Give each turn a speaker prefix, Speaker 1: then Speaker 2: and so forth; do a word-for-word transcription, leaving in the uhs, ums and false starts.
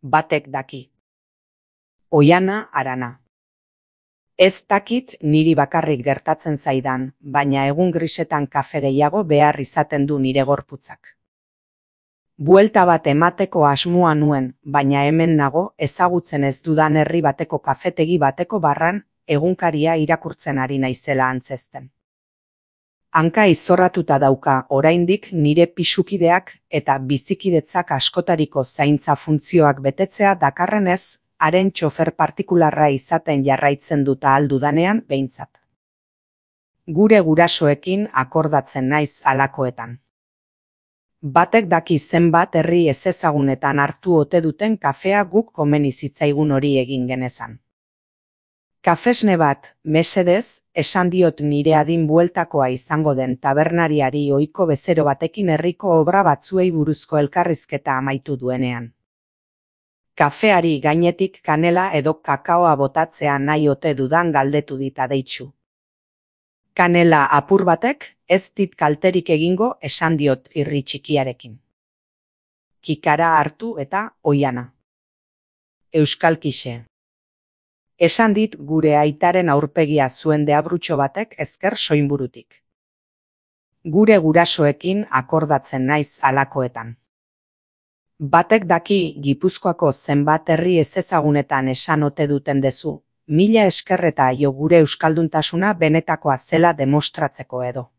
Speaker 1: Batek daki. Oiana Arana. Ez dakit niri bakarrik gertatzen zaidan, baina egun grisetan kafe gehiago behar izaten du nire gorputzak. Buelta bat emateko asmoa nuen, baina hemen nago ezagutzen ez dudan herri bateko kafetegi bateko barran egunkaria irakurtzen ari naizela antzezten. Hanka izorratuta dauka oraindik nire pisukideak eta bizikidetzak askotariko zaintza funtzioak betetzea dakarrenez, haren txofer partikularra izaten jarraitzen dut ahal dudanean behintzat. Gure gurasoekin akordatzen naiz halakoetan. Batek daki zenbat herri ezezagunetan hartu ote duten kafea guk komeni zitzaigun hori egin genezan. Kafesne bat, mesedez, esan diot nire adin bueltakoa izango den tabernariari ohiko bezero batekin herriko obra batzuei buruzko elkarrizketa amaitu duenean. Kafeari gainetik kanela edo kakaoa botatzea nahi ote dudan galdetu dit adeitsu. Kanela apur batek ez dit kalterik egingo esan diot irri txikiarekin. Kikara hartu eta oiana. Euskalkixe. Esan dit gure aitaren aurpegia zuen deabrutxo batek ezker soinburutik. Gure gurasoekin akordatzen naiz halakoetan. Batek daki Gipuzkoako zenbat herri ezezagunetan esan ote duten dezu, mila esker eta jo gure euskalduntasuna benetakoa zela demostratzeko edo.